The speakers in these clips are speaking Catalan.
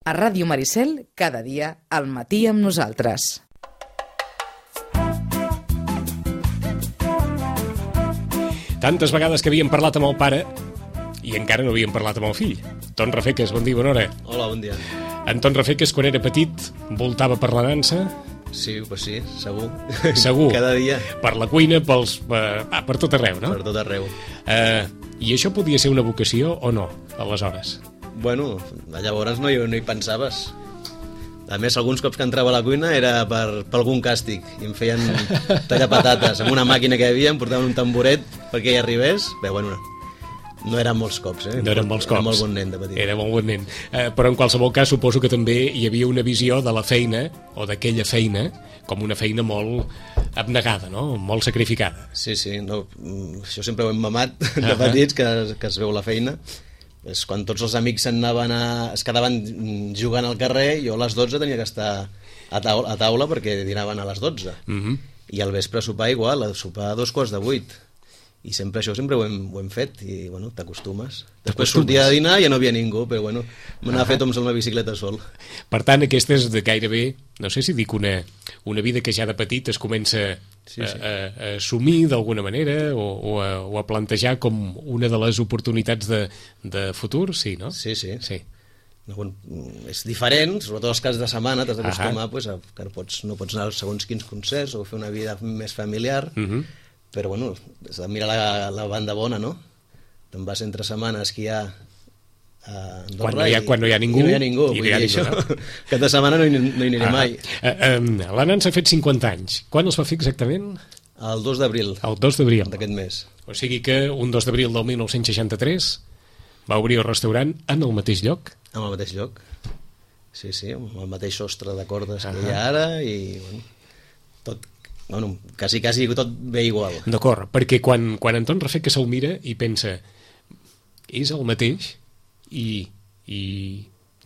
A Ràdio Maricel, cada dia al matí amb nosaltres. Tantes vegades que havíem parlat amb el pare i encara no havíem parlat amb el fill. Anton Rafeques, bon dia, bona hora. Hola, bon dia. Anton Rafeques, quan era petit, voltava per la dansa? Sí, pues sí, segur. Segur. Cada dia. Per la cuina, per tot arreu, no? Per tot arreu. I això podia ser una vocació o no, aleshores? Bueno, llavors no hi pensaves. A més, alguns cops que entrava a la cuina era per algun càstig i em feien tallar patates amb una màquina que hi havia, em portaven un tamboret perquè hi arribés. Bé, bueno, no eren molts cops, No eren molts cops. Era molt bon nen de petit. Era molt bon nen. Però en qualsevol cas suposo que també hi havia una visió de la feina, o d'aquella feina, com una feina molt abnegada, no? Molt sacrificada. Sí, no, això sempre ho hem mamat de petits, que es veu la feina. És quan tots els amics es quedaven jugant al carrer, jo a les 12 tenia que estar a taula perquè dinaven a les 12. I al vespre sopar igual, a sopar a 7:45. I sempre ho hem fet i bueno, t'acostumes. Després sortia de dinar i ja no havia ningú, però bueno, m'anava a fer toms amb la bicicleta sol. Per tant, aquesta és de gairebé, no sé si dic una vida que ja de petit es comença a assumir d'alguna manera o a plantejar com una de les oportunitats de futur, sí, no? Sí. Bueno, és diferent, sobretot els caps de setmana t'has d'acostumar que no pots anar a segons quins concerts o fer una vida més familiar, però bueno, has de mirar la banda bona, no? Te'n vas entre setmana a esquiar a Andorra quan no hi ha ningú, vull dir això, cap de setmana no hi aniré mai. La Nansa ha fet 50 anys. Quan els va fer exactament? El 2 d'abril. El 2 d'abril. D'aquest mes. O sigui que un 2 d'abril del 1963 va obrir el restaurant en el mateix lloc? En el mateix lloc. Sí, amb el mateix sostre de cordes que hi ha ara i bueno, quasi tot ve igual. D'acord, perquè quan Anton Rafeques se'l mira i pensa és el mateix i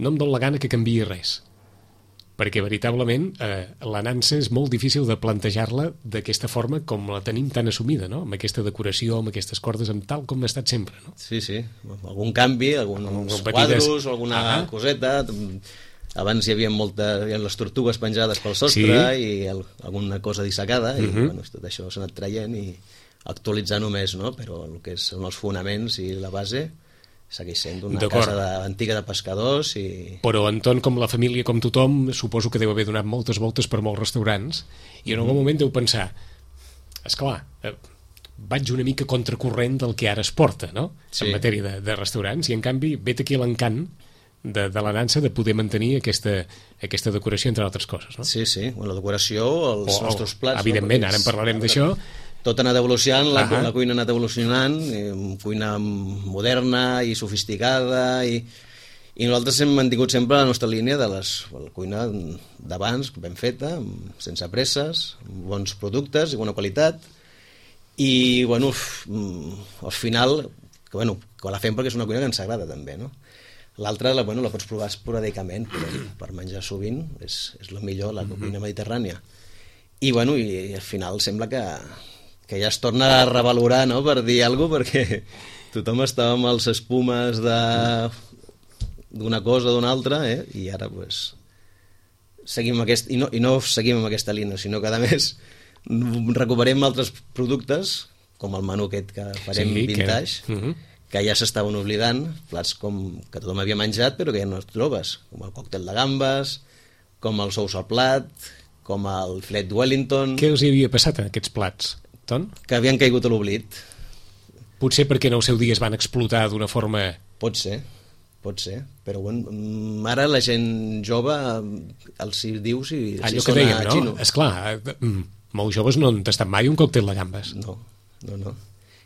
no em dóna la gana que canviï res, perquè veritablement la Nansa és molt difícil de plantejar-la d'aquesta forma com la tenim tan assumida, no? Amb aquesta decoració, amb aquestes cordes, amb tal com ha estat sempre, no? Sí, algun canvi, alguns quadros, alguna coseta. Abans hi havia les tortugues penjades pel sostre i alguna cosa dissecada i bueno, tot això s'ha anat traient i actualitzant només, no? Però el que són els fonaments i la base segueix sent una casa antiga de pescadors i... Però Anton, com la família, com tothom, suposo que deu haver donat moltes voltes per molts restaurants i en algun moment deu pensar esclar, vaig una mica contracorrent del que ara es porta, no? En matèria de restaurants, i en canvi vet aquí l'encant de la Nansa de poder mantenir aquesta decoració, entre altres coses, no? Sí, la decoració, els nostres plats... Evidentment, ara en parlarem d'això. Tot ha anat evolucionant, la cuina ha anat evolucionant, cuina moderna i sofisticada, i nosaltres hem mantingut sempre la nostra línia de la cuina d'abans, ben feta, sense presses, amb bons productes i bona qualitat, i bueno, al final, que la fem perquè és una cuina que ens agrada també, no? L'altra la pots provar esporàdicament, però per menjar sovint és el millor, la cuina mediterrània. I al final sembla que ja es torna a revalorar, no?, per dir alguna cosa, perquè tothom estava amb els espumes d'una cosa o d'una altra, i ara seguim i no seguim amb aquesta línia, sinó que a més recuperem altres productes, com el menú aquest que farem vintage, que ja s'estaven oblidant, plats que tothom havia menjat però que ja no els trobes, com el còctel de gambes, com els ous al plat, com el filet Wellington... Què els hi havia passat en aquests plats, Ton? Que havien caigut a l'oblit. Potser perquè en el seu dia es van explotar d'una forma... Pot ser, però ara la gent jove els hi diu si sona dèiem, xino. Esclar, molts joves no han tastat mai un còctel de gambes. No.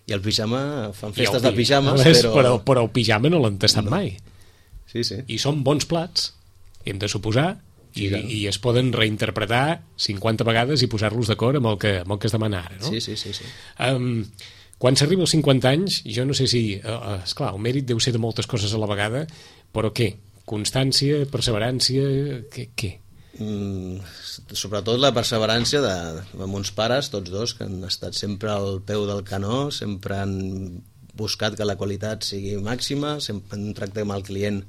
I el pijama, fan festes de pijames, però el pijama no l'han tastat mai. Sí. I són bons plats, hem de suposar, i es poden reinterpretar 50 vegades i posar-los d'acord amb el que es demana ara, no? Sí. Quan s'arriba als 50 anys, jo no sé si... esclar, el mèrit deu ser de moltes coses a la vegada, però què? Constància, perseverància, què? Sobretot la perseverància de mons pares, tots dos, que han estat sempre al peu del canó, sempre han buscat que la qualitat sigui màxima, sempre han tractat amb el client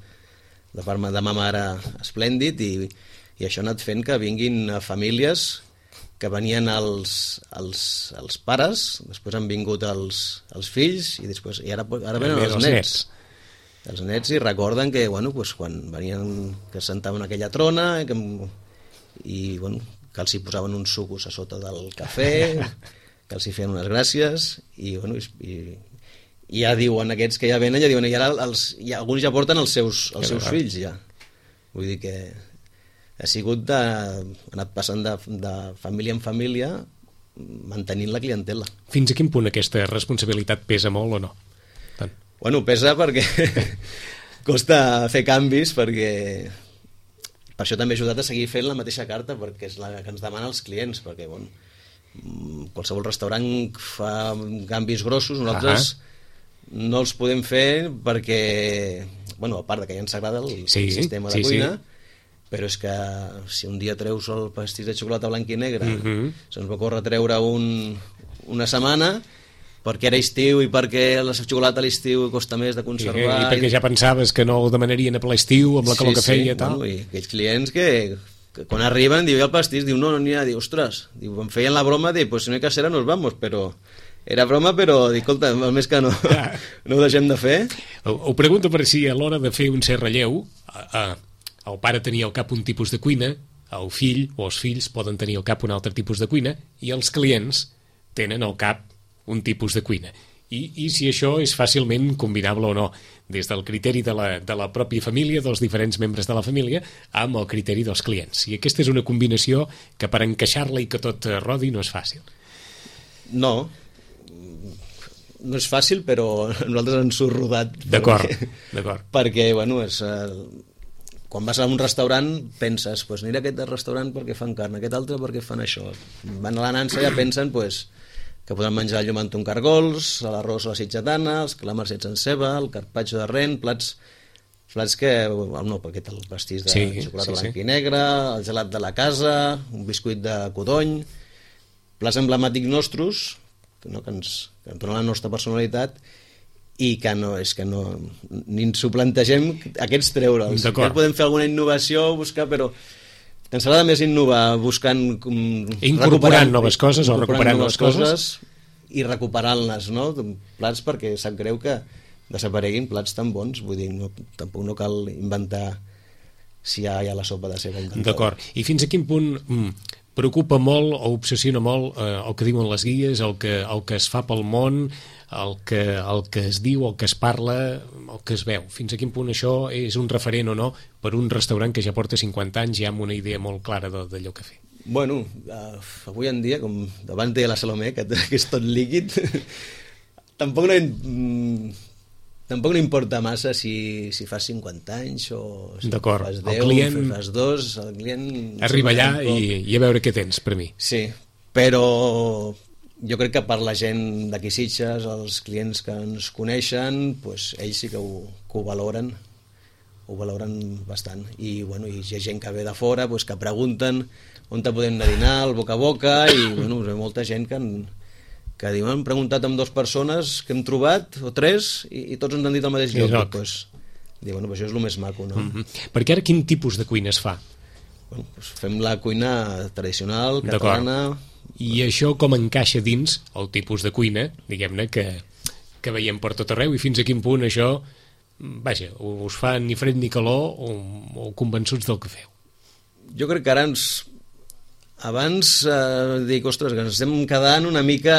de part de ma mare esplèndid, i això ha anat fent que vinguin famílies que venien els pares, després han vingut els fills, i ara venen els nets. Els nets, i recorden que, bueno, pues, quan venien, que sentaven aquella trona, i bueno, que els hi posaven uns sucos a sota del cafè, que els hi feien unes gràcies, i bueno, i ja diuen, aquests que ja venen, i ara alguns ja porten els seus fills, ja. Vull dir que ha anat passant de família en família, mantenint la clientela. Fins a quin punt aquesta responsabilitat pesa molt o no? Tant. Bueno, pesa perquè costa fer canvis, perquè per això també he ajudat a seguir fent la mateixa carta, perquè és la que ens demana els clients, perquè bueno, qualsevol restaurant fa canvis grossos, nosaltres no els podem fer perquè, bueno, a part que ja ens agrada el sistema de cuina, però és que si un dia treus el pastís de xocolata blanc i negre, se'ns va córrer treure una setmana, perquè era estiu i perquè la xocolata a l'estiu costa més de conservar. I perquè ja pensaves que no ho demanarien a ple estiu amb la calor que feia i tal. Bueno, i aquells clients que quan arriben, diu, i el pastís, diu, no n'hi ha, diu, ostres, diu, em feien la broma, diu, pues si no hi ha casera nos vamos, però era broma, però dic, escolta, el més que no ho deixem de fer. Ho pregunto per si a l'hora de fer un cert relleu, el pare tenia al cap un tipus de cuina, el fill o els fills poden tenir al cap un altre tipus de cuina, i els clients tenen al cap un tipus de cuina. I si això és fàcilment combinable o no, des del criteri de la pròpia família, dels diferents membres de la família, amb el criteri dels clients. I aquesta és una combinació que per encaixar-la i que tot rodi no és fàcil. No és fàcil, però nosaltres ens ho rodat. D'acord. Perquè, bueno, quan vas a un restaurant penses, pues aniré a aquest restaurant perquè fan carn, aquest altre perquè fan això. Van a la nansa i ja pensen que podran menjar el llomant amb cargols, l'arròs a la sitgetana, els calamars fets amb ceba, el carpaccio de ren, plats que, no, perquè el pastís de xocolata blanc i negre, el gelat de la casa, un biscuit de codony, plats emblemàtics nostres, que ens donen la nostra personalitat, i que ni ens ho plantegem aquests treure'ls. Ja podem fer alguna innovació, buscar, però ens agrada més innovar buscant incorporant noves coses o recuperant noves coses i recuperant-les, no? Plats, perquè sap greu que desapareguin plats tan bons, vull dir, tampoc no cal inventar si ja hi ha la sopa de ceba inventada. D'acord, i fins a quin punt preocupa molt o obsessiona molt el que diuen les guies, el que es fa pel món, el que es diu, el que es parla, el que es veu? Fins a quin punt això és un referent o no per un restaurant que ja porta 50 anys ja amb una idea molt clara d'allò que fer? Bueno, avui en dia, com abans deia la Salomé, que és tot líquid, tampoc no importa massa si fas 50 anys o si fas 10 o fas 2, el client arriba allà i a veure què tens per mi. Sí, però jo crec que per la gent d'aquí Sitges, els clients que ens coneixen, pues, ells sí que ho valoren bastant, i bueno, hi ha gent que ve de fora, pues, que pregunten on te podem anar a dinar, el boca a boca, i bueno, hi ha molta gent que diuen, hem preguntat amb 2 persones que hem trobat, o 3, i tots ens han dit el mateix lloc. Pues, bueno, això és el més maco, no? Perquè ara quin tipus de cuina es fa? Bueno, pues fem la cuina tradicional, catalana. I això com encaixa dins el tipus de cuina, diguem-ne, que veiem per tot arreu, i fins a quin punt això, vaja, us fa ni fred ni calor o convençuts del que feu? Jo crec que ara abans dic, ostres, que ens estem quedant una mica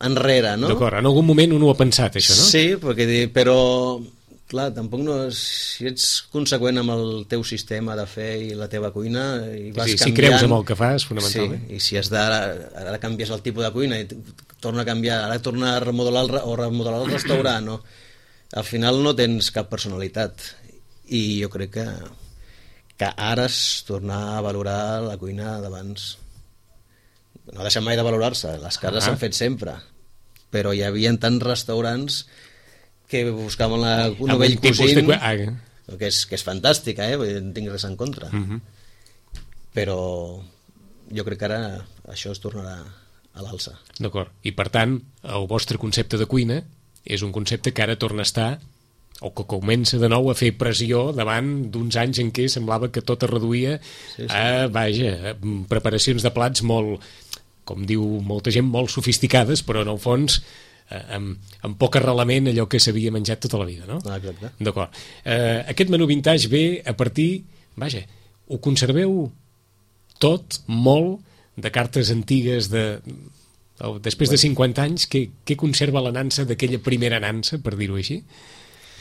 enrere, no? D'acord, en algun moment un ho ha pensat, això, no? Sí, però clar, tampoc no, si ets conseqüent amb el teu sistema de fer i la teva cuina i vas canviant, si creus en el que fas, fonamentalment. Sí, i si ara canvies el tipus de cuina i torna a canviar, ara torna a remodelar el restaurant, no? Al final no tens cap personalitat, i jo crec que ara és tornar a valorar la cuina d'abans. No ha deixat mai de valorar-se, les cases s'han fet sempre, però hi havia tants restaurants que buscaven un novell cosint, que és fantàstica, no tinc res en contra. Però jo crec que ara això es tornarà a l'alça. D'acord, i per tant el vostre concepte de cuina és un concepte que ara torna a estar o que comença de nou a fer pressió davant d'uns anys en què semblava que tot es reduïa a, preparacions de plats molt, com diu molta gent, molt sofisticades, però en el fons amb poc arrelament allò que s'havia menjat tota la vida, no? Exacte. D'acord. Aquest menú vintage ve a partir, ho conserveu tot, molt, de cartes antigues després de 50 anys, què conserva la nansa d'aquella primera nansa, per dir-ho així?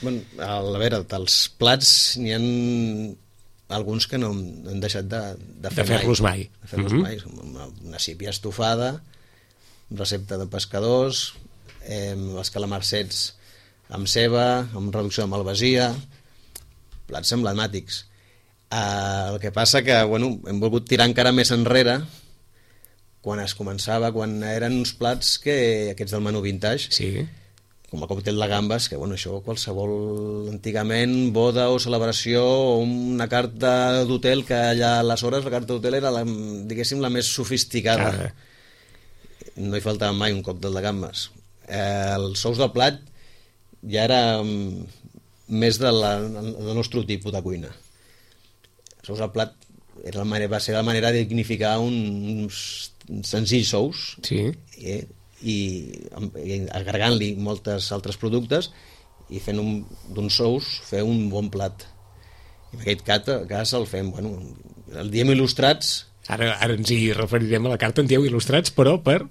Bueno, a veure, dels plats n'hi ha alguns que no han deixat de fer-los mai. De fer-los mai. Una sípia estofada, recepta de pescadors, els calamarsets amb ceba, amb reducció de malvasia, plats emblemàtics. El que passa que hem volgut tirar encara més enrere quan es començava, quan eren uns plats que aquests del menú vintage, com el còctel de gambes, que això qualsevol antigament boda o celebració o una carta d'hotel, que allà aleshores la carta d'hotel era diguéssim la més sofisticada. No hi faltava mai un còctel de gambes. Els sous del plat ja era més del nostre tipus de cuina. Els sous del plat va ser la manera de dignificar uns senzills sous i agregant-li moltes altres productes i fent d'uns sous fer un bon plat. I en aquest cas el fem, el diem il·lustrats. Ara ens hi referirem a la carta, en dieu il·lustrats, però per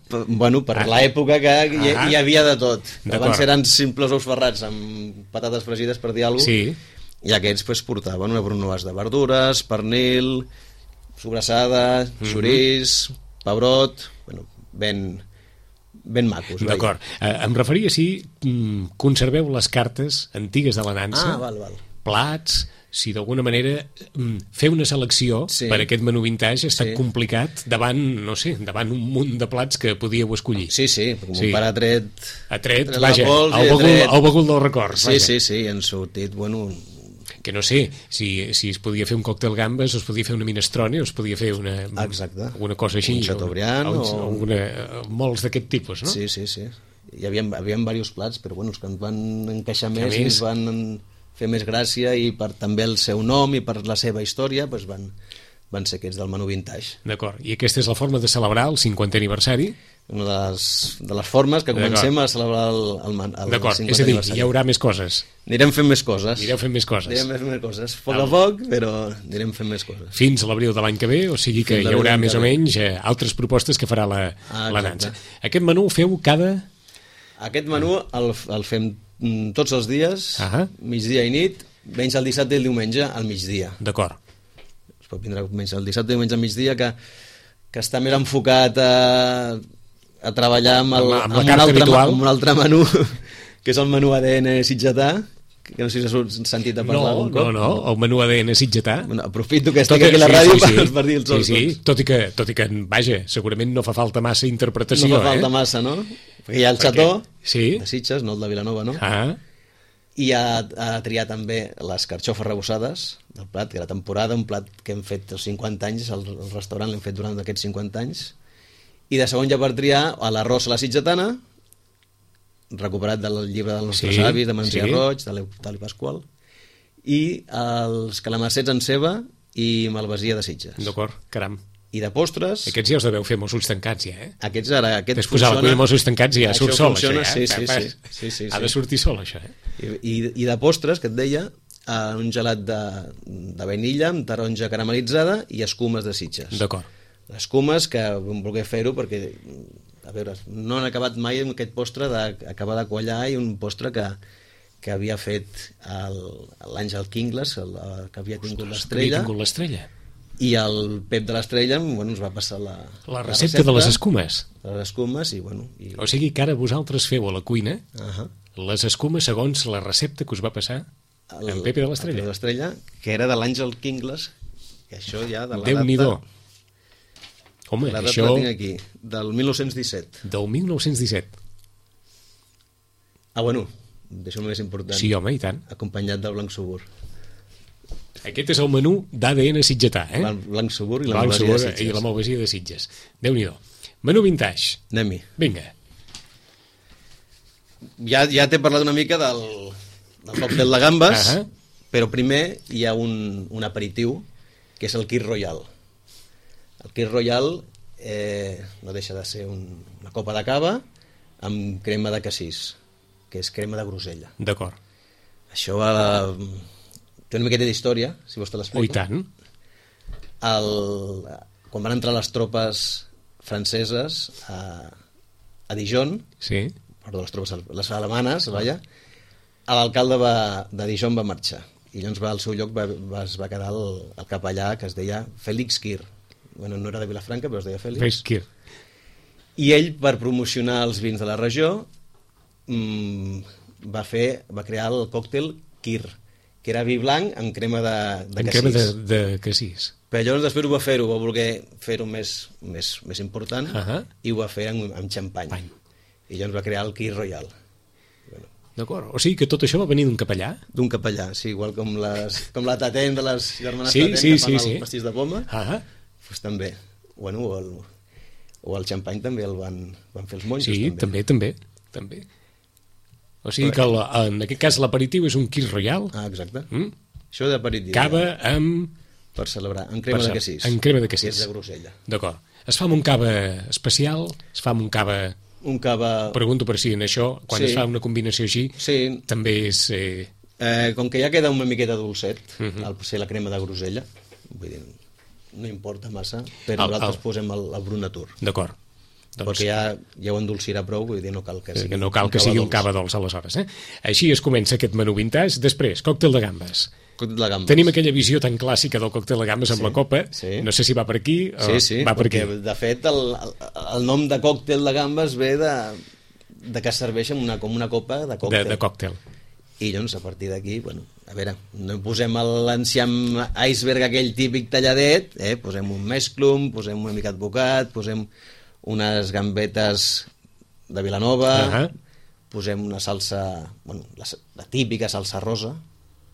l'època que hi havia de tot. Abans eren simples ous ferrats amb patates fregides, per dir alguna cosa, i aquests portaven una brunoise de verdures, pernil, sobrassada, xoriç, pebrot, ben macos. D'acord. Em referia si conserveu les cartes antigues de la nansa, plats, si d'alguna manera fer una selecció per aquest menú vintage ha estat complicat davant un munt de plats que podíeu escollir. Sí, com un pare ha tret el bagul dels records. Sí, han sortit, que no sé si es podia fer un còctel gambes o es podia fer una minestrone o es podia fer alguna cosa així, un chateaubriand molts d'aquest tipus, no? Sí. Hi havia diversos plats, però els que ens van encaixar més i ens van fer més gràcia, i per també el seu nom i per la seva història van ser aquests del menú vintage. D'acord, i aquesta és la forma de celebrar el 50è aniversari? Una de les formes que comencem a celebrar el 50è aniversari. D'acord, és a dir, hi haurà més coses. Anirem fent més coses. Poc a poc, però anirem fent més coses. Fins a l'abril de l'any que ve, o sigui que hi haurà més o menys altres propostes que farà la nansa. Aquest menú ho feu cada... Aquest menú el fem tots els dies, migdia i nit, menys el dissabte i el diumenge al migdia. D'acord. Es pot vindre menys el dissabte i el diumenge al migdia, que està més enfocat a treballar amb un altre menú, que és el menú ADN sitgetà, que no sé si has sentit a parlar algun cop. No, el menú ADN sitgetà. Aprofito que estic aquí a la ràdio per dir els dos. Sí, tot i que, segurament no fa falta massa interpretació. No fa falta massa, no? Perquè hi ha el xató de Sitges, no el de Vilanova, no? I ha triat també les carxofes rebossades del plat, que era temporada, un plat que hem fet els 50 anys, el restaurant l'hem fet durant aquests 50 anys, i de segon ja per triar l'arròs a la sitgetana, recuperat del llibre dels nostres avis, de Mansià Roig, de l'Eutali Pasqual, i els calamarsets en ceba i malvasia de Sitges. D'acord, caram. I de postres... Aquests ja us deveu fer Mossos tancats, ja, Aquest després posar la cuina Mossos tancats ja surt sol, això, Sí. Ha de sortir sol, això, I de postres, que et deia, un gelat de vainilla amb taronja caramelitzada i escumes de Sitges. D'acord. Escumes que vam voler fer-ho perquè, a veure, no han acabat mai amb aquest postre d'acabar de quallar, i un postre que havia fet l'Àngel Kingles, que havia tingut l'estrella. I el Pep de l'Estrella ens va passar la recepta de les escumes. Les escumes O sigui que ara vosaltres feu a la cuina les escumes segons la recepta que us va passar en Pepe de l'Estrella. Pepe de l'Estrella, que era de l'Àngel Kingles, que això ja de la Déu-n'hi-do. Home, la data això... la tinc aquí, del 1917. Del 1917. Deixa'm més important. Sí, home, i tant. Acompanyat del blanc subur. Aquest és el menú d'ADN sitgetà, El blanc subur i la malvasia de Sitges. I la malvasia de Sitges. Déu-n'hi-do. Menú vintage. Anem-hi. Vinga. Ja t'he parlat una mica del còctel de gambes, però primer hi ha un aperitiu, que és el Kir Royal. El Kir Royal no deixa de ser una copa de cava amb crema de cassís, que és crema de grosella. D'acord. Això té una miqueta d'història, si vols te l'explico. Oh, i tant. Quan van entrar les tropes franceses a Dijon, sí. Perdó, les alemanes, vaja, l'alcalde de Dijon va marxar i llavors al seu lloc es va quedar el capellà que es deia Félix Kir. Bueno, no era de Vilafranca, però es deia Félix Kir. I ell, per promocionar els vins de la regió, va crear el còctel Kir, que era vi blanc amb crema de cassís. Crema de cassís. Però llavors després va voler fer-ho més important, i ho va fer amb xampany. I llavors va crear el Kir Royal. Bueno. D'acord, o sigui que tot això va venir d'un capellà? D'un capellà, sí, igual com la Tatent de les germanes Tatent que fan el pastís de poma, doncs també. Bueno, o el xampany també el van fer els monjos. Sí, també. O sigui que en aquest cas l'aperitiu és un Kir Royal. Exacte. Això d'aperitiu. Cava amb... Per celebrar, amb crema de cassís. Amb crema de cassís. Que és de grosella. D'acord. Es fa amb un cava especial? Es fa amb un cava... Un cava... Pregunto per si en això, quan es fa una combinació així, també és... Com que ja queda una miqueta dolcet, al ser la crema de grosella, vull dir, no importa massa, però nosaltres posem el Brut Natur. D'acord. Perquè ja ho endolcirà prou, vull dir, no cal que sigui un cava dolç aleshores. Així es comença aquest menú vintage. Després, còctel de gambes. Tenim aquella visió tan clàssica del còctel de gambes amb la copa, no sé si va per aquí o va per aquí. De fet el nom de còctel de gambes ve de que serveix com una copa de còctel. I llavors a partir d'aquí, bueno, a veure, no posem l'enciam iceberg aquell típic talladet, posem un mesclum, posem una mica advocat, posem unes gambetes de Vilanova, posem una salsa, bueno, la típica salsa rosa,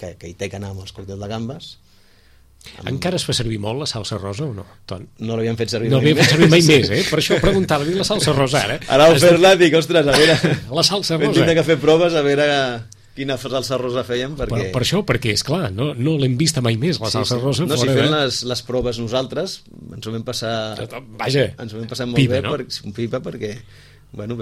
que hi té que anar amb els còctels de gambes. Encara es fa servir molt la salsa rosa o no, Ton? No l'havíem fet servir mai més, Per això preguntava-li la salsa rosa ara. Ara al fer-la dic, ostres, a veure... La salsa rosa. Vam tindre que fer proves a veure quina salsa rosa fèiem, perquè... Per això, perquè, esclar, no l'hem vista mai més, la salsa rosa. No, si fem les proves nosaltres, ens ho vam passar... Vaja, ens ho vam passar molt bé, un pipa, perquè... Bueno,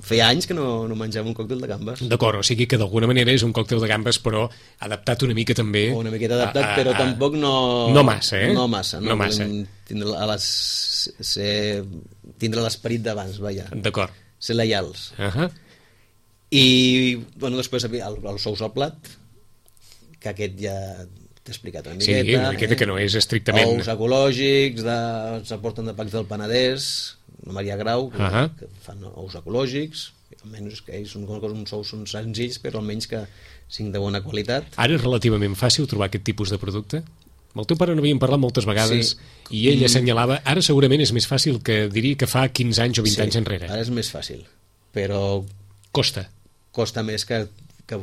feia anys que no menjava un còctel de gambes. D'acord, o sigui que d'alguna manera és un còctel de gambes, però adaptat una mica també... Una miqueta adaptat, però tampoc no... No massa, No massa. Tindre l'esperit d'abans, vaja. D'acord. Ser lleials. I, bueno, després els ous al plat, que aquest ja t'he explicat una miqueta. Sí, una miqueta que no és estrictament... Ous ecològics, s'aporten de Pacs del Penedès, la Maria Grau, que fan ous ecològics, almenys que són uns ous senzills, però almenys que siguin de bona qualitat. Ara és relativament fàcil trobar aquest tipus de producte? Amb el teu pare n'havíem parlat moltes vegades i ell assenyalava, ara segurament és més fàcil que diria que fa 15 anys o 20 anys enrere. Ara és més fàcil, però... Costa més que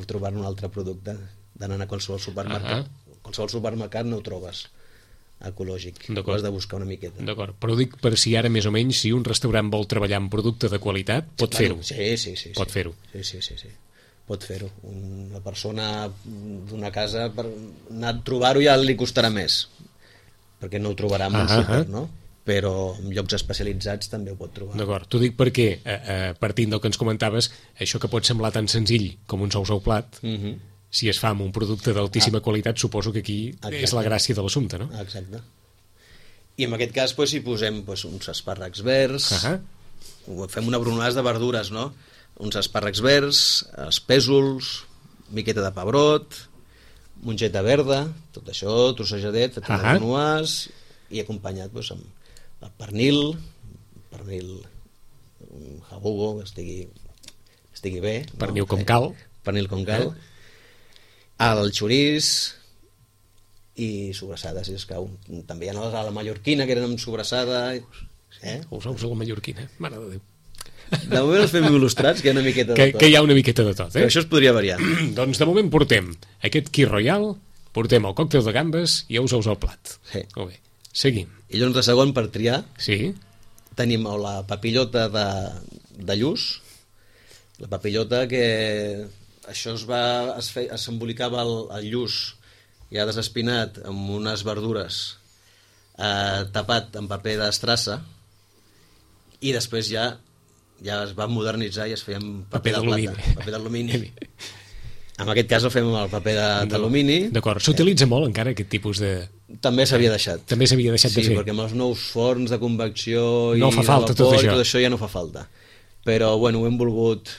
trobar un altre producte, d'anar a qualsevol supermercat. Qualsevol supermercat no ho trobes ecològic, ho has de buscar una miqueta. D'acord, però dic per si ara més o menys, si un restaurant vol treballar amb producte de qualitat, pot fer-ho. Sí. Pot fer-ho. Sí. Pot fer-ho. Una persona d'una casa, per anar a trobar-ho ja li costarà més, perquè no ho trobarà en un súper, no? Però en llocs especialitzats també ho pot trobar. D'acord, t'ho dic perquè, partint del que ens comentaves, això que pot semblar tan senzill com uns ous al plat, si es fa amb un producte d'altíssima qualitat, suposo que aquí és la gràcia de l'assumpte, no? Exacte. I en aquest cas hi posem uns espàrrecs verds, fem una bronades de verdures, no? Uns espàrrecs verds, espèsols, miqueta de pebrot, mongeta verda, tot això trossejadet, fet una bronuàs, i acompanyat amb el pernil jabugo, que estigui bé. Pernil com cal. Pernil com cal. El xoriç i sobrassada, si escau. També hi ha a la mallorquina, que eren amb sobrassada. Els ous a la mallorquina, mare de Déu. De moment els fem il·lustrats, que hi ha una miqueta de tot. Que hi ha una miqueta de tot, Però això es podria variar. Doncs de moment portem aquest Kir Royal, portem el còctel de gambes i ous al plat. Sí. Molt bé, seguim. I llavors de segon, per triar, tenim la papillota de lluç, la papillota que això s'embolicava el lluç ja desespinat amb unes verdures tapat amb paper d'estrassa i després ja es va modernitzar i es feia amb paper de plata, paper d'alumini. En aquest cas ho fem amb el paper d'alumini. D'acord, s'utilitza molt encara aquest tipus de... També s'havia deixat. També s'havia deixat de fer. Sí, perquè amb els nous forns de convecció no fa falta tot això. Tot això ja no fa falta. Però, bueno, ho hem volgut...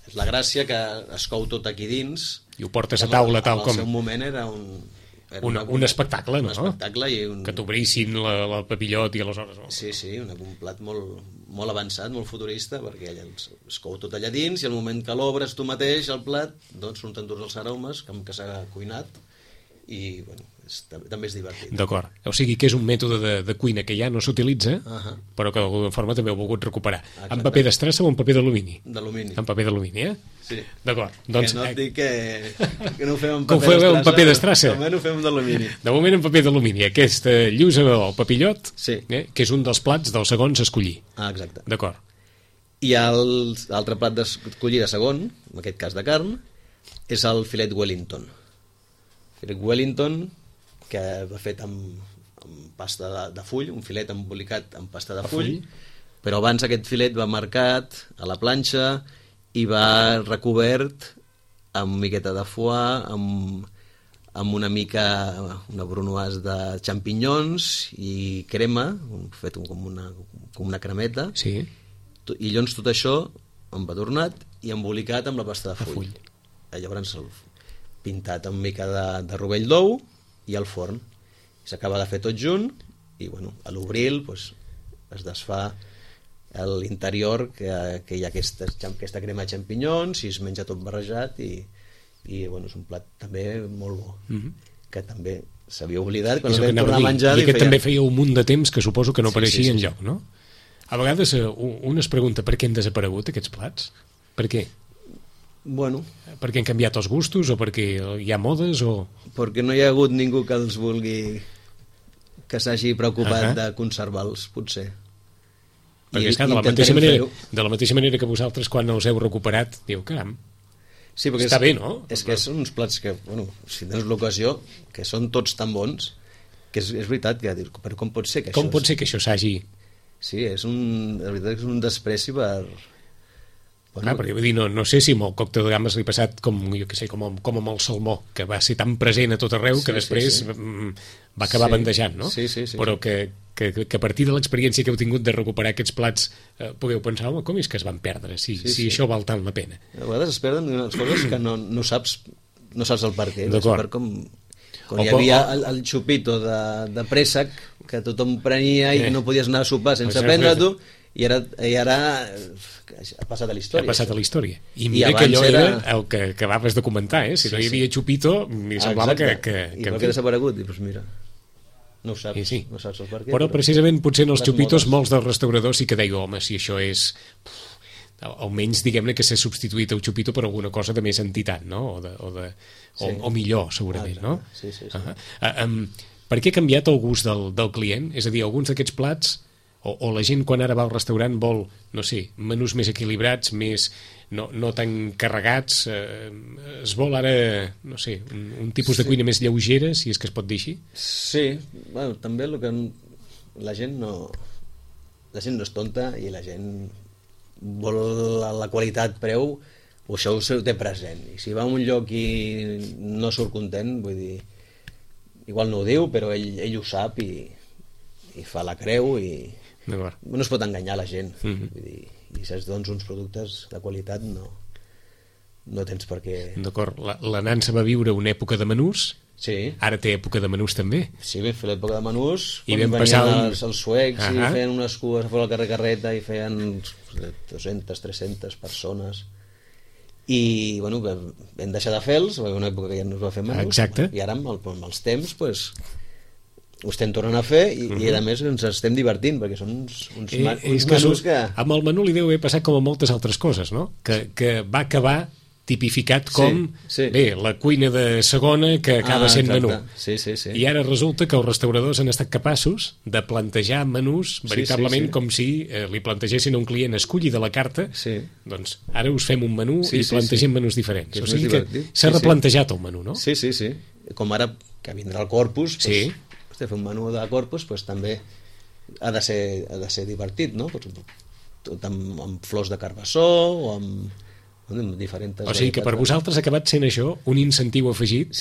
És la gràcia que es cou tot aquí dins. I ho portes a taula tal com... En el seu moment era un espectacle, no? Un espectacle i que t'obrissin el papillot i aleshores... Sí, un plat molt avançat, molt futurista, perquè allà es cou tot allà dins i al moment que l'obres tu mateix, el plat, doncs surten tots els aromes que s'ha cuinat i, bueno, també és divertit. D'acord. O sigui que és un mètode de cuina que ja no s'utilitza, però que d'alguna forma també heu volgut recuperar. Exacte. En paper d'estrassa o en paper d'alumini? D'alumini. En paper d'alumini, Sí. D'acord. Doncs, que no et dic que no ho fem en paper d'estrassa. En paper d'estrassa? De moment ho fem d'alumini. De moment en paper d'alumini. Aquesta lluç o papillot, sí. Que és un dels plats dels segons a escollir. Exacte. D'acord. I l'altre plat d'escollir de segon, en aquest cas de carn, és el filet Wellington. Filet Wellington, que va fet amb pasta de full, un filet embolicat amb pasta de full, però abans aquest filet va marcat a la planxa i va recobert amb miqueta de foie, amb una brunoise de xampinyons i crema, fet com una cremeta, sí. I llavors tot això embadurnat i embolicat amb la pasta de full. Llavors pintat amb mica de rovell d'ou i al forn. S'acaba de fer tot junt i, bueno, a l'obril es desfà l'interior, que hi ha aquesta crema de xampinyons i es menja tot barrejat i bueno, és un plat també molt bo, que també s'havia oblidat quan el vam tornar a menjar. I aquest també feia un munt de temps que suposo que no apareixia enlloc, no? A vegades un es pregunta per què han desaparegut aquests plats? Per què? Bueno, perquè han canviat els gustos o perquè hi ha modes o... Perquè no hi ha hagut ningú que els vulgui, que s'hagi preocupat de conservar-los, potser. Perquè és que de la mateixa manera que vosaltres quan els heu recuperat diu, caram, sí, està bé, no? És que són uns plats que, bueno, si tens l'ocasió, que són tots tan bons, que és veritat, que dius, però com pot ser que com pot ser que això s'hagi... Sí, la veritat és un despreci per... Bueno, perquè vull dir, no sé si amb el còctel de gambes li ha passat com amb el salmó, que va ser tan present a tot arreu que després va acabar bandejant, no? Sí. Però que a partir de l'experiència que heu tingut de recuperar aquests plats pugueu pensar, home, com és que es van perdre si això val tant la pena? A vegades es perden unes coses que no saps el per què. D'acord. Quan hi havia el xupito de préssec que tothom prenia i no podies anar a sopar sense prendre-t'ho, i ara ha passat a la història. Ha passat a la història. I mira que allò era el que acabaves de comentar, si no hi havia xupito, m'hi semblava que... I per què ha desaparegut? Doncs mira, no ho saps, no saps el per què. Però precisament potser en els xupitos molts dels restauradors sí que deien, home, si això és... almenys diguem-ne que s'ha substituït el xupito per alguna cosa de més entitat, no? O millor, segurament, no? Sí. Per què ha canviat el gust del client? És a dir, alguns d'aquests plats o la gent quan ara va al restaurant vol, no sé, menús més equilibrats, més no tan carregats, es vol ara, no sé, un tipus de cuina més lleugera, si és que es pot dir així? Sí, bueno, també el que la gent no és tonta i la gent vol la qualitat-preu, o això ho té present, i si va a un lloc i no surt content, vull dir, igual no ho diu, però ell ho sap i fa la creu i no es pot enganyar la gent. Vull dir, i si es dones uns productes de qualitat no tens per què... D'acord, la Nansa va viure una època de menús, ara té època de menús també. Sí, vam fer l'època de menús, i quan venien els suecs i feien unes cues a fora del carrer Carreta i feien 200, 300 persones i bueno, vam deixar de fer-los, va haver una època que ja no es va fer menús. Exacte. I ara amb els temps ho estem tornant a fer i a més ens estem divertint perquè són uns menús que... Amb el menú li deu haver passat com a moltes altres coses, no? Que va acabar tipificat com bé, la cuina de segona que acaba sent menú. Sí. I ara resulta que els restauradors han estat capaços de plantejar menús veritablement com si li plantegessin a un client escolli de la carta, doncs ara us fem un menú i plantegem menús diferents. O sigui que s'ha replantejat el menú, no? Sí. Com ara que vindrà el Corpus, fer un menú de Corpus també ha de ser divertit, no? Tot amb flors de carbassó o amb diferents... O sigui que per vosaltres ha acabat sent això un incentiu afegit.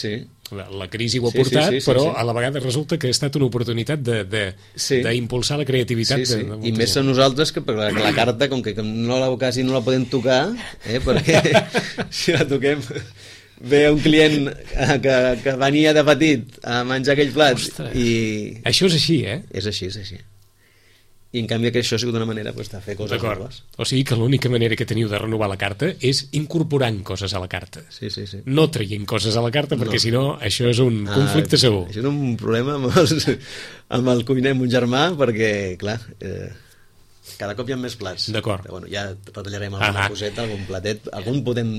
La crisi ho ha portat, però a la vegada resulta que ha estat una oportunitat d'impulsar la creativitat. I més a nosaltres, que la carta, com que quasi no la podem tocar, perquè si la toquem... Ve un client que venia de petit a menjar aquell plat. Això és així, És així. I en canvi això ha sigut una manera de fer coses noves. O sigui que l'única manera que teniu de renovar la carta és incorporant coses a la carta. No traient coses a la carta, perquè si no això és un conflicte segur. Això és un problema amb el cuiner, amb un germà, perquè clar, cada cop hi ha més plats. D'acord. Però ja retallarem alguna coseta, algun platet, algun podem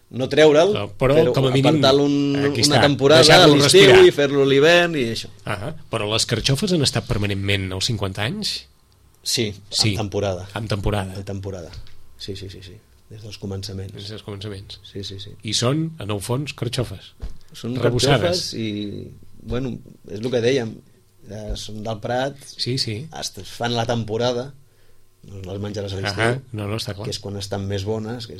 no treure'l, però com a mínim una temporada a l'estiu i fer-lo a l'hivern i això. Però les carxofes han estat permanentment als 50 anys? Sí, en temporada. En temporada. En temporada, sí. Des dels començaments. Sí. I són, en el fons, carxofes. Són carxofes i, bueno, és el que dèiem, són del Prat, es fan la temporada, no les menjaràs a l'estiu, està clar. Que és quan estan més bones, que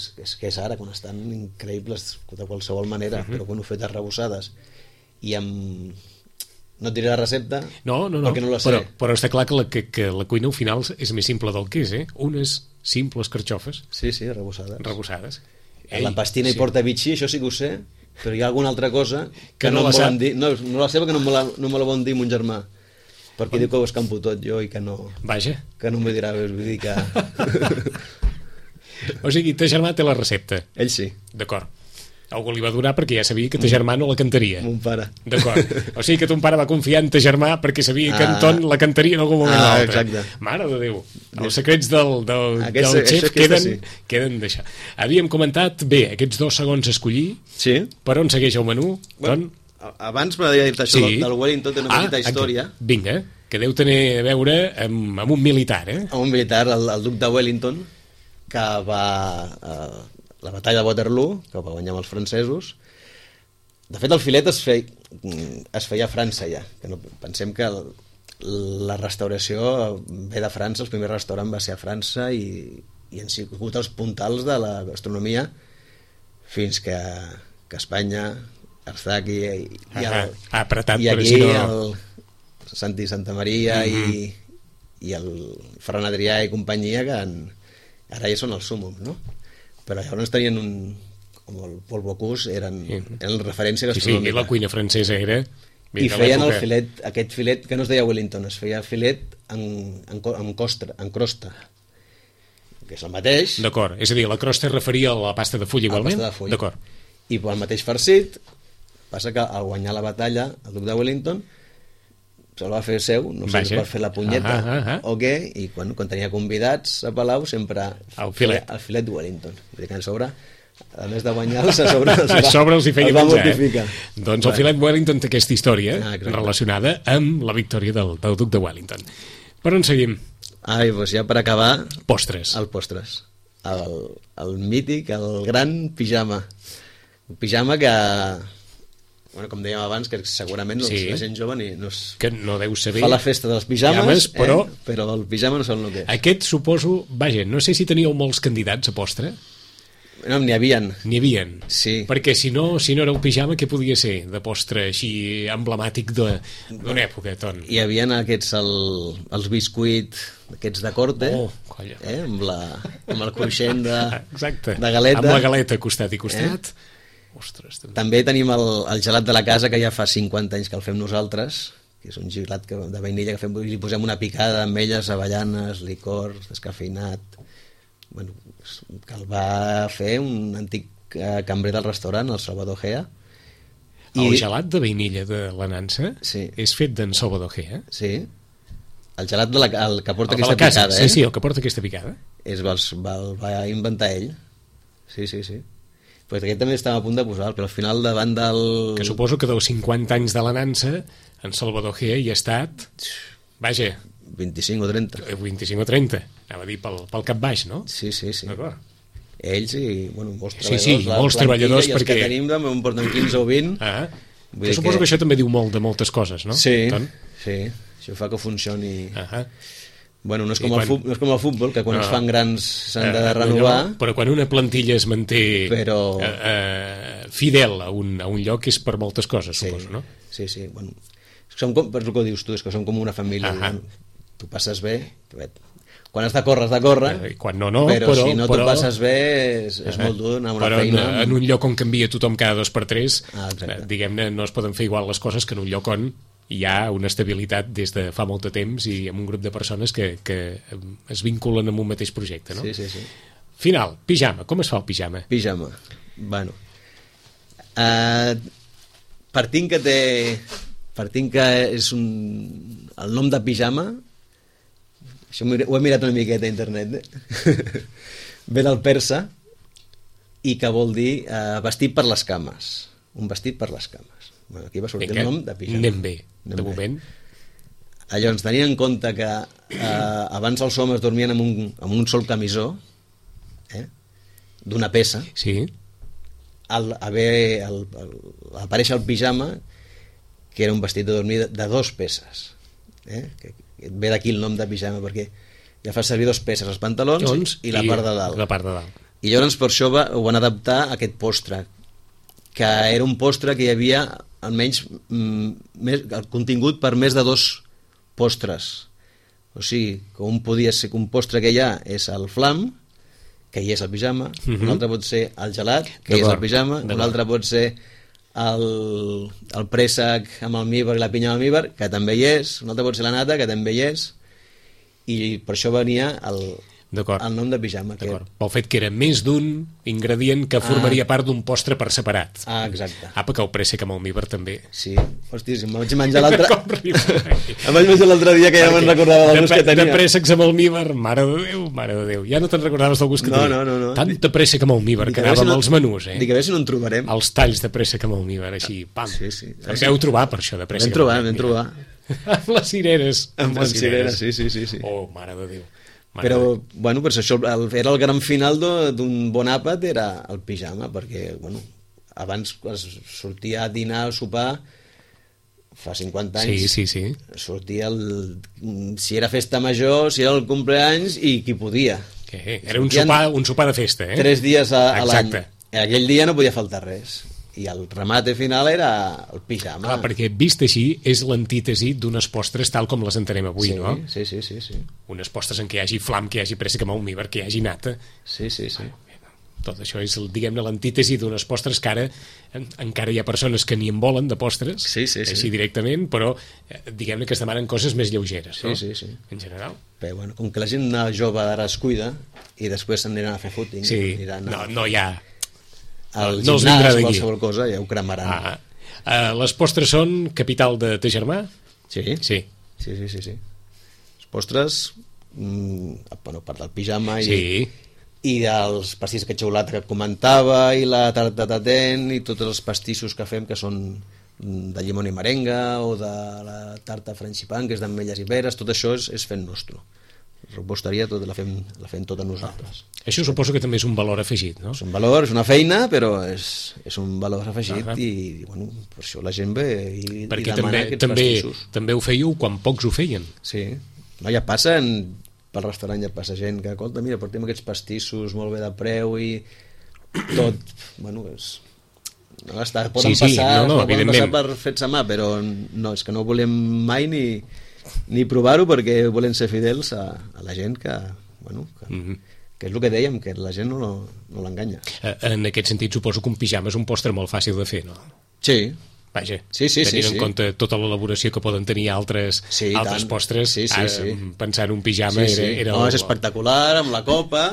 és ara, quan estan increïbles de qualsevol manera, però fetes arrebossades. I amb... No et diré la recepta, perquè no la sé. Però està clar que la cuina al final és més simple del que és, Unes simples carxofes. Sí, arrebossades. La pastina i porta bitxí, això sí que ho sé, però hi ha alguna altra cosa que no em volen dir. No la sé perquè no me la volen dir mon germà, perquè diu que ho escampo tot jo i que no... Vaja. Que no m'ho dirà, vull dir que... O sigui, ta germà té la recepta. Ell sí. D'acord. Algú li va donar perquè ja sabia que ta germà no la cantaria. Mon pare. D'acord. O sigui que ton pare va confiar en ta germà perquè sabia que en Ton la cantaria en algun moment o l'altre. Exacte. Mare de Déu. Els secrets del xef queden d'això. Havíem comentat, bé, aquests 2 segons a escollir. Sí. Per on segueix el menú? Bueno, abans m'agradaria dir-te això del Wellington, té una petita història. Vinga, que deu tenir a veure amb un militar, Amb un militar, el duc de Wellington, que va... la batalla de Waterloo, que va guanyar amb els francesos. De fet, el filet es feia a França ja. Pensem que la restauració ve de França, el primer restaurant va ser a França i han sigut els puntals de la gastronomia fins que Espanya... Arzaki i aquí el Santi Santamaria i el Ferran Adrià i companyia, que ara ja són els súmums, no? Però llavors tenien com el Paul Bocuse, eren referència gastronòmica. I la cuina francesa era... I feien el filet, aquest filet que no es deia Wellington, es feia filet en crosta, que és el mateix. D'acord, és a dir, la crosta es referia a la pasta de full igualment? La pasta de full. D'acord. I el mateix farcit. Passa que al guanyar la batalla el duc de Wellington se'l va fer seu, no sé si per fer la punyeta o què, i quan tenia convidats a Palau sempre el filet de Wellington, vull dir que a sobre, a més de guanyar-los, a sobre els va mortificar. Doncs el filet Wellington té aquesta història relacionada amb la victòria del duc de Wellington. Per on seguim? Doncs ja per acabar, postres. El postres, el mític, el gran pijama, un pijama que... Bueno, com dèiem abans, que segurament la gent jove que no deu saber fa la festa dels pijames, però el pijama no saben el que és. Aquest suposo, vaja, no sé si teníeu molts candidats a postre. No, n'hi havien. Sí. Perquè si no era el pijama, què podia ser de postre així emblemàtic d'una època, Ton? Hi havia aquests, els biscuit, aquests de corte, amb el cruixent de galeta. Amb la galeta costat i costat. Ostres, també tenim el gelat de la casa, que ja fa 50 anys que el fem nosaltres, que és un gelat de vainilla que li posem una picada d'ametlles, avellanes, licor, descafeinat, bueno, que el va fer un antic cambrer del restaurant, el Salvador Gea. El gelat de vainilla de la Nansa és fet d'en Salvador Gea? Sí, el gelat que porta aquesta picada. Sí, el que porta aquesta picada. El va inventar ell. Sí. Pues aquest també estava a punt de posar, però al final davant del... Que suposo que dels 50 anys de la nansa, en Salvador Gea hi ha estat... Vaja... 25 o 30. 25 o 30. Anava a dir pel cap baix, no? Sí. D'acord. Ells i, bueno, molts treballadors. Sí, molts treballadors, perquè... I els perquè... que tenim també en porten 15 o 20. Que suposo que això també diu molt de moltes coses, no? Sí. Això fa que funcioni... Bueno, no és com el futbol, que quan es fan grans s'han de renovar. Però quan una plantilla es manté fidel a un lloc és per moltes coses, suposo, no? Sí. Bueno, per el que dius tu, és que som com una família. Tu passes bé, quan has de córrer, quan no, però si no tu passes bé és molt dur anar a una feina. Però en un lloc on canvia tothom cada 2 per 3, diguem-ne, no es poden fer igual les coses que en un lloc on hi ha una estabilitat des de fa molt de temps i amb un grup de persones que es vinculen amb un mateix projecte, no? Sí. Final, pijama. Com es fa el pijama? Pijama. Bueno, partint que és el nom de pijama, això ho he mirat una miqueta a internet, ve del persa i que vol dir vestit per les cames. Un vestit per les cames. Bueno, aquí va sortir el nom de pijama. Anem bé, de moment. Llavors, tenint en compte que abans els homes dormien amb un sol camisó, d'una peça, sí. Al aparèixer el pijama, que era un vestit de dormir de 2 peces. Que ve d'aquí el nom de pijama, perquè ja fa servir 2 peces, els pantalons i la part de dalt. I llavors per això ho van adaptar a aquest postre, que era un postre que hi havia almenys el contingut per més de 2 postres. O sigui, que un podia ser que un postre que hi ha és el flam, que hi és el pijama, un altre pot ser el gelat, que hi és el pijama, un altre pot ser el préssec amb almíbar i la pinya amb almíbar, que també hi és, un altre pot ser la nata, que també hi és, i per això venia el nom de pijama. Pel fet que era més d'un ingredient que formaria part d'un postre per separat. Exacte. Perquè el préssec amb almíbar també. Sí, hòstia, em vaig menjar l'altre... Em vaig menjar l'altre dia que ja me'n recordava del gust que tenia. De préssecs amb almíbar, mare de Déu. Ja no te'n recordaves del gust que tenia. No. Tant de préssec amb almíbar que anava amb els menús, Dic a veure si no en trobarem. Els talls de préssec amb almíbar, així, pam. Sí. Els heu trobat, per això, de préssec amb almíbar. Vam trobar. Amb les cireres. Amb les cireres, sí. Oh, mare de Déu. Però, bueno, per això era el gran final d'un bon àpat, era el pijama, perquè, bueno, abans es sortia a dinar o sopar, fa 50 anys, sí. sortia si era festa major, si era el cumpleaños i qui podia. Era un sopar de festa, 3 dies a l'any. Aquell dia no podia faltar res. I el remate final era el pijama. Clar, perquè vist així és l'antítesi d'unes postres tal com les entenem avui, no? Sí. Unes postres en què hi hagi flam, que hi hagi préssec amb almíbar, que hi hagi nata. Sí. Tot això és, diguem-ne, l'antítesi d'unes postres que ara encara hi ha persones que ni en volen de postres, així directament, però diguem-ne que es demanen coses més lleugeres, no? Sí. En general. Però, bueno, com que la gent jove d'ara es cuida i després s'aniran a fer footing, no hi ha... al gimnàs o qualsevol cosa, ja ho cremaran. Les postres són capital de ta germà? Sí. Els postres, bueno, part del pijama i dels pastís de xocolata que comentava, i la tarta de tatent, i tots els pastissos que fem, que són de llimona i merenga, o de la tarta frangipan, que és d'ametlles i peres, tot això és fent nostre. La reposteria la fem tota nosaltres. Això suposo que també és un valor afegit, no? És un valor, és una feina, però és un valor afegit i, bueno, per això la gent ve i demana aquests pastissos. També ho fèieu quan pocs ho feien. Sí, no, ja passa, pel restaurant ja passa gent que, escolta, mira, portem aquests pastissos molt bé de preu i tot, bueno, poden passar per fets a mà, però no, és que no volem mai ni provar-ho, perquè volen ser fidels a la gent que, bueno, que és el que dèiem, que la gent no l'enganya. En aquest sentit suposo que un pijama és un postre molt fàcil de fer, no? Sí. Vaja, sí. tenint en compte tota l'elaboració que poden tenir altres postres, pensar en un pijama era... No, és espectacular, amb la copa,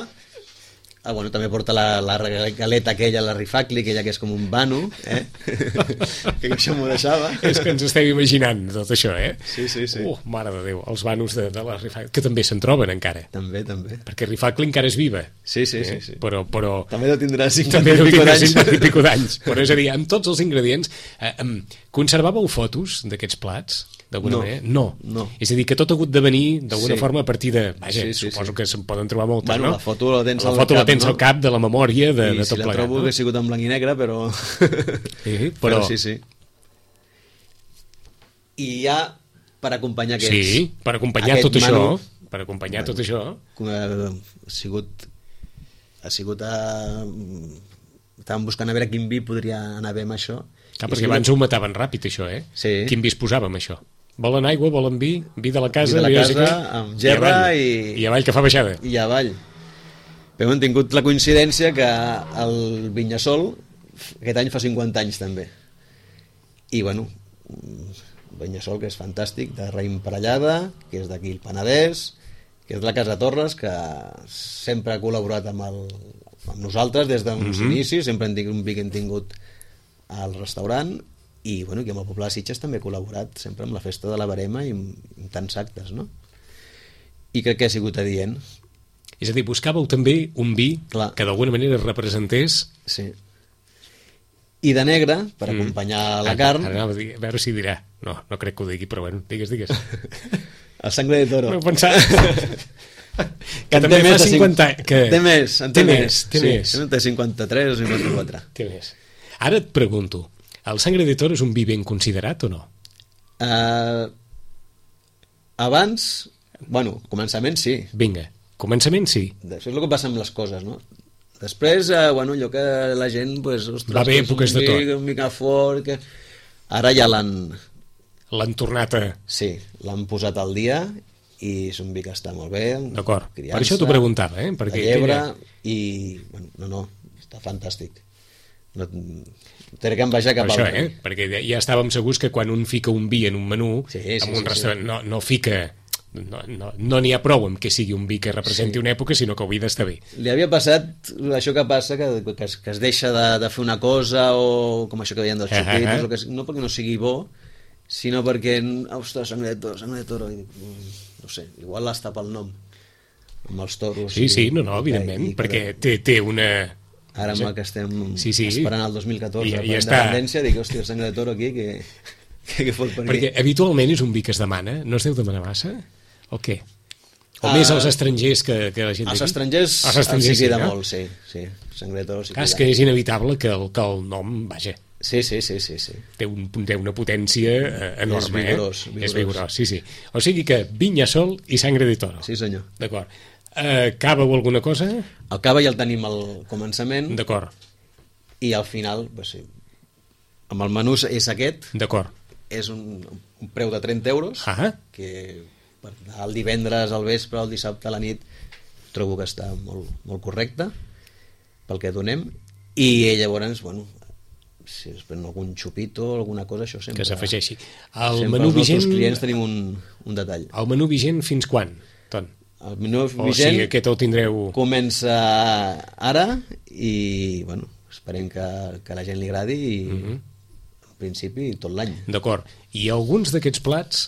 bueno, també porta la galeta aquella, la rifacli, aquella que és com un vano, que això m'ho deixava. És que ens estem imaginant tot això, Sí. Mare de Déu, els vanos de la rifacli, que també se'n troben encara. També. Perquè rifacli encara és viva. Sí. Però també deu tindrà 50 i pico d'anys. Però és a dir, amb tots els ingredients, conservàveu fotos d'aquests plats? D'alguna manera? No. És a dir, que tot ha hagut de venir d'alguna forma a partir de... Vaja, suposo que se'n poden trobar moltes, no? La foto la tens al cap de la memòria de tot plegat. I si la trobo que ha sigut en blanc i negre, però... però sí. I ja, per acompanyar aquests... Sí, per acompanyar tot això. Per acompanyar tot això. Ha sigut estàvem buscant a veure quin vi podria anar bé amb això. Clar, perquè abans ho mataven ràpid, això, Sí. Quin vi es posava amb això? Volen aigua, volen vi de la casa, amb gerra i avall, que fa baixada. I avall. Però hem tingut la coincidència que el Vinyasol aquest any fa 50 anys també. I bueno, Vinyasol, que és fantàstic, de raïm parellada, que és d'aquí el Penedès, que és la Casa Torres, que sempre ha col·laborat amb nosaltres des d'uns inicis, sempre hem tingut un vi que hem tingut al restaurant, i bueno, que amb el poble de Sitges també ha col·laborat sempre amb la festa de la Verema i amb tants actes, no? I crec que ha sigut adient. És a dir, buscàveu també un vi que d'alguna manera representés... Sí. I de negre, per acompanyar la carn... Ara anava a dir, a veure si dirà. No crec que ho digui, però bueno, digues. El sangre de toro. No he pensat... que també fa 50 anys. Té més. Té més. Té 53 o 54. Té més. Ara et pregunto, el Sangre de Toro és un vi ben considerat o no? Abans, bueno, començament sí. Vinga, començament sí. Això és el que passa amb les coses, no? Després, bueno, allò que la gent, pues, ostres, va haver èpoques de tot. Un mica fort, que... Ara ja l'han tornat a... Sí, l'han posat al dia i és un vi que està molt bé. D'acord, per això t'ho preguntava, perquè... De llebre i... Bueno, no, està fantàstic. No té que envejar cap al això, perquè ja estàvem segurs que quan un fica un vi en un menú, en un restaurant, no fica... No n'hi ha prou amb que sigui un vi que representi una època, sinó que el vi d'estar bé. Li havia passat això que passa, que es deixa de fer una cosa, o com això que deien dels xupitos, no perquè no sigui bo, sinó perquè, ostres, sangre de toro, no sé, igual l'està pel nom, amb els toros. Sí, evidentment, perquè té una... Ara amb el que estem esperant el 2014 per la independència, dic, hòstia, sangre de toro aquí, que fot per aquí. Perquè habitualment és un vi que es demana, no es deu demanar massa? O què? O més als estrangers que la gent d'aquí? Els estrangers s'hi queda molt, sí. Sangre de toro s'hi queda. És que és inevitable que el nom, vaja... Sí. Té una potència enorme, És vigorós. Sí. O sigui que Vinyasol i Sangre de Toro. Sí, senyor. D'acord. Cava o alguna cosa? El cava ja el tenim al començament. D'acord. I al final, pues, sí, amb el menú és aquest. D'acord. És un preu de 30 euros, que per el divendres al vespre o el dissabte a la nit trobo que està molt, molt correcte pel que donem. I llavors, bueno, si es pren algun xupito o alguna cosa, això sempre... Que s'afegeixi. El sempre menú els nostres vigent... clients tenim un detall. El menú vigent fins quan, Ton? El menú vigent, o sigui, aquest el tindreu... comença ara i, bueno, esperem que la gent li agradi i en principi tot l'any. D'acord. I alguns d'aquests plats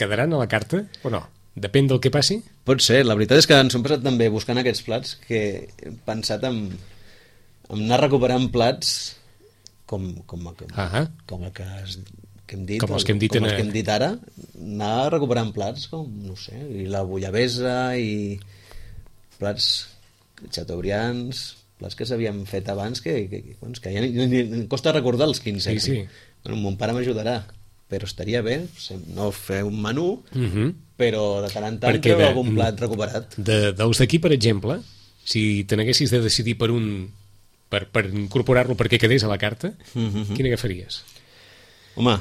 quedaran a la carta o no? Depèn del que passi? Pot ser. La veritat és que ens hem passat també buscant aquests plats que hem pensat en anar recuperant plats com el que hem dit, com els que hem dit ara, anar recuperant plats com, no sé, i la bullabesa i plats chateaubrians, plats que s'havien fet abans que ja ni costa recordar els 15. Sí. Bueno, mon pare m'ajudarà, però estaria bé no fer un menú, però de tant en tant treure algun plat recuperat. Dels d'aquí, per exemple, si te n'haguessis de decidir per un per incorporar-lo perquè quedés a la carta, quin agafaries? Home,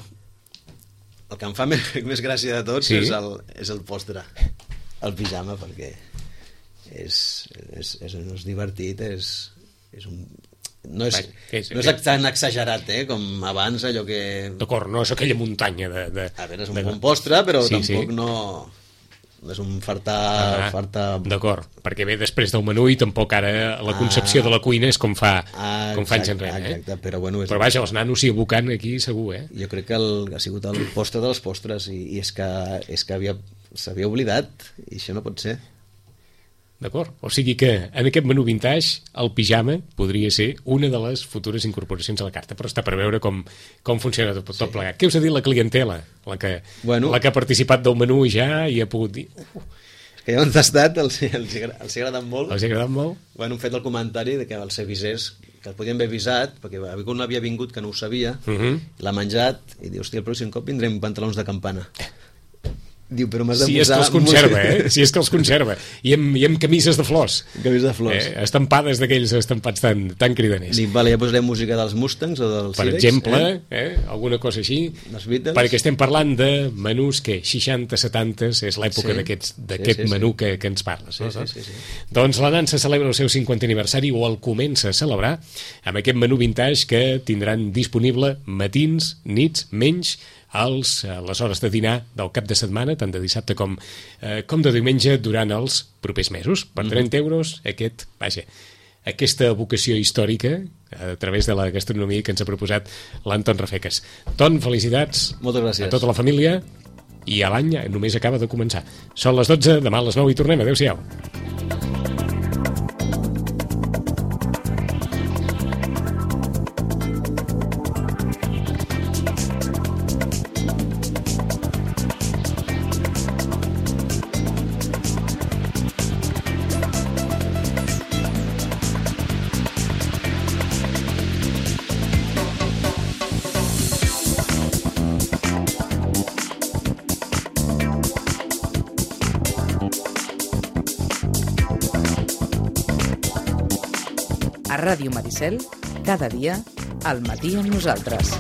el que em fa més gràcia de tots és el postre, el pijama, perquè és divertit, no és tan exagerat com abans, allò que... D'acord, no és aquella muntanya de... A veure, és un bon postre, però tampoc no és un fartar... D'acord, perquè ve després del menú i tampoc ara la concepció de la cuina és com fa anys enrere. Exacte, però bueno... Però vaja, els nanos s'hi abocant aquí segur, Jo crec que ha sigut el postre de les postres i és que s'havia oblidat i això no pot ser. D'acord, o sigui que en aquest menú vintage el pijama podria ser una de les futures incorporacions a la carta, però està per veure com funciona tot plegat. Què us ha dit la clientela? La que ha participat del menú ja i ha pogut dir... És que ja han tastat, els hi ha agradat molt. Els hi ha agradat molt? Bueno, han fet el comentari de que els avisés, que el podien haver avisat, perquè algú havia vingut que no ho sabia, l'ha menjat i diu, hòstia, el pròxim cop vindrem pantalons de campana. Diu, però m'has de si és que els conserva, si és que els conserva. I amb camises de flors. Camises de flors. Estampades d'aquells estampats tan cridaners. Dic, vale, ja posarem música dels Mustangs o dels Per Sirex, exemple, alguna cosa així. dels Beatles. Perquè estem parlant de menús que 60-70 és l'època d'aquest menú que ens parles. Sí. Doncs la Nansa celebra el seu 50è aniversari o el comença a celebrar amb aquest menú vintage que tindran disponible matins, nits, menys a les hores de dinar del cap de setmana, tant de dissabte com de diumenge, durant els propers mesos. Per 30 euros, aquesta vocació històrica a través de la gastronomia que ens ha proposat l'Anton Rafecas. Ton, felicitats. Moltes gràcies. A tota la família, i a l'any només acaba de començar. Són les 12, demà a les 9 i tornem. Adéu-siau. A Ràdio Maricel, cada dia, al matí amb nosaltres.